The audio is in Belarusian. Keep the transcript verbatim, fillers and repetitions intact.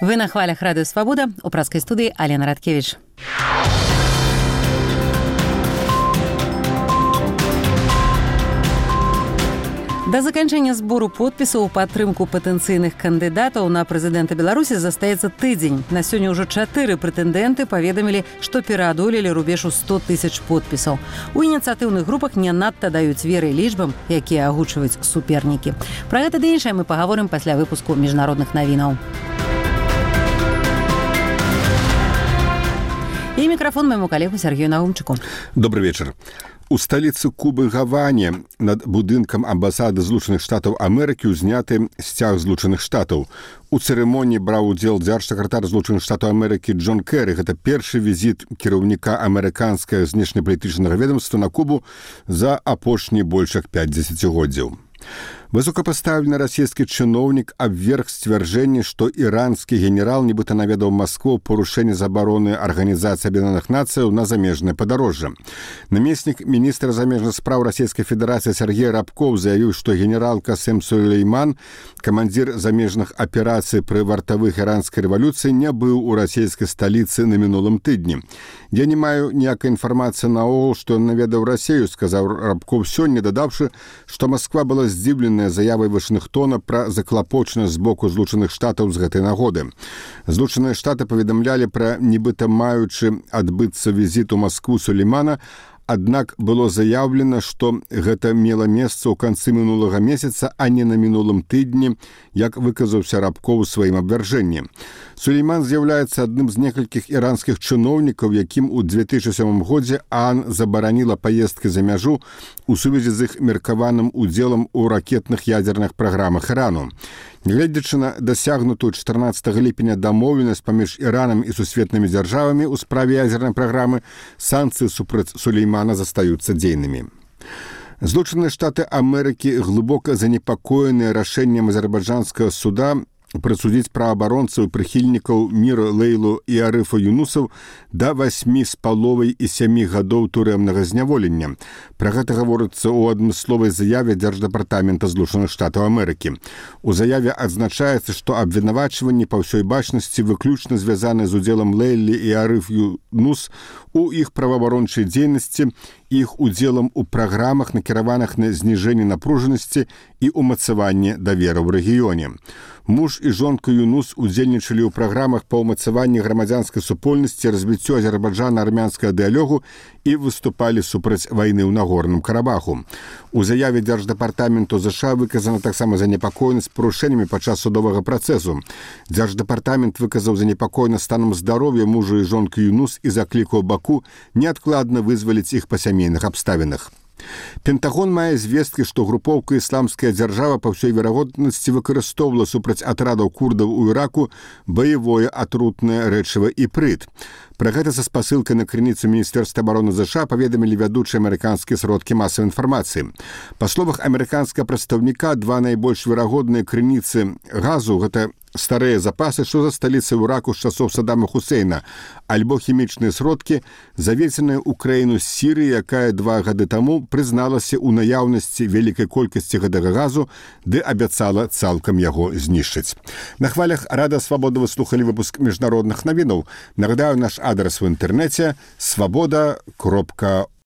Вы на хвалях Радыё Свабода, у праскай студыі Алена Радкевіч. Да заканчэння збору подпісаў у падтрымку патэнцыйных кандыдатаў на прэзідэнта Беларусі застаецца тыдзень. На сёння ўжо чатыры прэтэндэнты паведамілі, што пераадолелі рубеж у сто тысяч подпісаў. У ініцыятыўных групах не надта даюць веры лічбам, якія агучваюць супернікі. Пра гэта ды іншае мы пагаворым пасля выпуску міжнародных навінаў. І мікрафон майму калегу Сергею Наумчыку. Добрый вечер. У сталіцы Кубы Гаване над будынкам амбасады Злучаных Штатаў Амерыкі ўзняты сцяг Злучаных Штатаў. У цырымоніі браў удзел дзяржсакратар Злучаных Штатаў Амерыкі Джон Кэры. Гэта першы візіт кіраўніка амерыканскага знешнепалітычнага ведомства на Кубу за апошні больш як пяць дзесяцігоддзяў. Высокапастаўлены расійскі чыноўнік абверг сцвярджэнне, што іранскі генерал нібыта наведаў Маскву парушэнне забароны Арганізацыі Аб'яднаных Нацыяў на замежнае падарожжа. Намеснік міністра замежных спраў Расійскай Федэрацыі Сергей Рабков заявіў, што генерал Касем Сулейман, камандзір замежных аперацый пры вартавых іранскай рэвалюцыі, не быў у расійскай сталіцы на мінулым тыдні. «Я не маю ніякай інфармацыі наогул, што ён наведаў Расію», сказаў Рабков сёння, дадаўшы, што Масква была здзіўленая заявай Вашынгтона пра заклапочанасць з боку Злучаных Штатаў з гэтай нагоды. Злучаныя Штаты паведамлялі пра нібыта маючы адбыцца візіт у Маскву Сулеймана, аднак было заяўлена, што гэта мела месца ў канцы мінулага месяца, а не на мінулым тыдні, як выказаўся Рабков у сваім абвяржэнні. Сулейман з'яўляецца адным з некалькіх іранскіх чыноўнікаў, якім у две тысячы сёмым годзе ААН забараніла паездкі за мяжу у сувязі з іх меркаваным удзелам у ракетных ядзерных праграмах Ірану. Гледзячы на дасягнутую чатырнаццатага ліпеня дамоўленасць паміж Іранам і сусветнымі дзяржавамі ў справе ядзернай праграмы, санкцыі супраць Сулеймана застаюцца дзейнымі. Злучаныя Штаты Амерыкі глыбока занепакоеныя рашэннем азербайджанскага суда прысудзіць праабаронцаў і прыхільнікаў міра Лейлу і Арыфа Юнусаў да васьмі з паловай і сямі гадоў турэмнага зняволення. Пра гэта гаворыцца ў адмысловай заяве Дзярждэпартамента Злучаных Штатаў Амерыкі. У заяве адзначаецца, што абвінавачванні па ўсёй бачнасці выключна звязаны з удзелам Лейлі і Арыф Юнус у іх праваабарончай дзейнасці, іх удзелам у праграмах, накіраваных на зніжэнне напружанасці і ўмацаванне даверу ў рэгіёне. Муж і жонка Юнус удзельнічалі ў праграмах па ўмацаванні грамадзянскай супольнасці, развіццю азербайджана-армянскага дыялогу і выступалі супраць вайны ў Нагорным Карабаху. У заяве Дзярждэпартаменту ЗША выказана таксама занепакоенасць парушэннямі падчас судовага працэсу. Дзярждэпартамент выказаў занепакоенасць станам здароўя мужа і жонкі Юнус і заклікаў Баку неадкладна вызваліць іх па сямейных абставінах. Пентагон мае звесткі, што групоўка «Ісламская дзяржава» па ўсёй верагоднасці выкарыстоўвала супраць атрадаў курдаў у Іраку баявое атрутнае рэчыва іпрыт. Пра гэта са спасылкай на крыніцу Міністэрства абароны ЗША паведамілі вядучыя амерыканскія сродкі масавай інфармацыі. Па словах амерыканскага прадстаўніка, два найбольш верагодныя крыніцы газу – гэта старыя запасы, што засталіся ў Іраку з часоў Саддама Хусейна, альбо хімічныя сродкі, завезеныя ў краіну з Сірыі, якая два гады таму прызналася ў наяўнасці вялікай колькасці гэтага газу, ды абяцала цалкам яго знішчыць. На хвалях Радыё Свабода вы слухалі выпуск міжнародных навінаў. Нагадаю, наш адрес в інтэрнэце свабода кропка